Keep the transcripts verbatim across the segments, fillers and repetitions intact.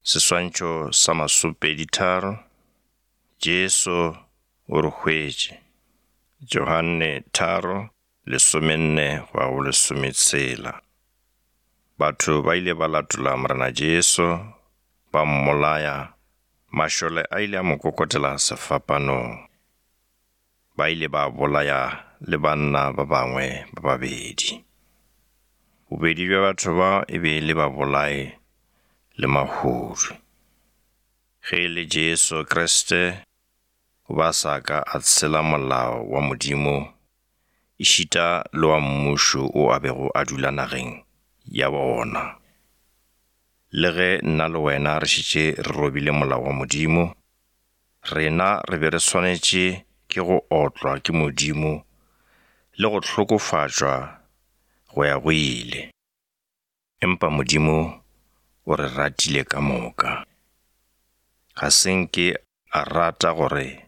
Seswantšho sa masomepedi-tharo, Jesu o re hwetše. Johane tharo, lesomenne go ya go lesometshela. Batho ba ile ba latola Morena Jesu, ba mmolaya, mašole a ile a mo kokotela sefapanong. Ba ile ba bolaya le banna ba bangwe ba babedi. Bobedi bja batho ba e be e le babolai le mahodu. Ge e le Jesu Kriste o ba sa ka a tshela molao wa Modimo ešita le wa mmušo wo a bego a dula nageng ya bona. Le ge nna le wena re šetše re robile molao wa Modimo, rena re be re swanetše ke go otlwa ke Modimo le go hlokofatšwa go ya go ile. Empa Modimo o re ratile ka moka. Ga se nke a rata gore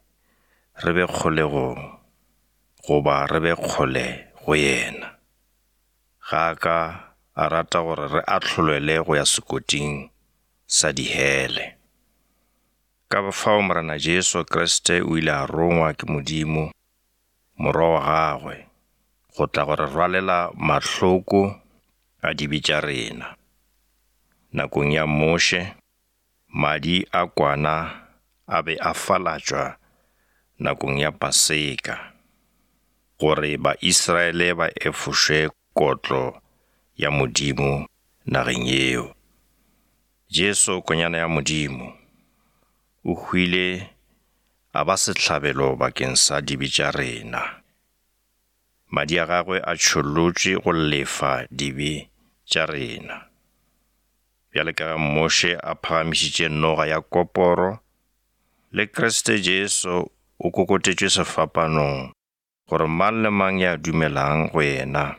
re be kgolegong goba re be kgole go yena. Ga a ka a rata gore re ahlolelwe go ya sekoting sa dihele. Ka fao Morena Jesu Kriste o ile a rongwa ke Modimo, Morwa wa gagwe, go tla go re rwalela mahloko a dibe tša rena. Nakong ya Moshe, madi a kwana a be a falatšwa nakong ya Paseka, gore Baisraele ba efošwe kotlo ya Modimo nageng yeo. Jesu Konyana ya Modimo, o hwile a ba sehlabelo bakeng sa dibe tša rena. Madi a gagwe a tšholotšwe go lefa dibe tša rena. Bjale ka ge Moshe a phagamišitše noga ya koporo, le Kriste Jesu o kokotetšwe sefapanong gore mang le mang ya dumelang go yena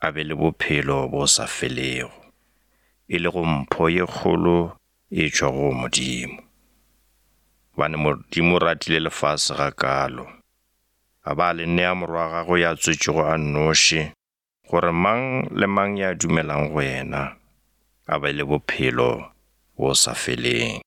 a be le bophelo bo sa felego, e lego mpho ye kgolo e tšwago go Modimo. Gobane Modimo o ratile lefase gakaalo, a ba le nea Morwa wa gagwe ya tswetšego a nnoši, gore mang le mang ya dumelang go yena a be le bophelo bo sa feleng.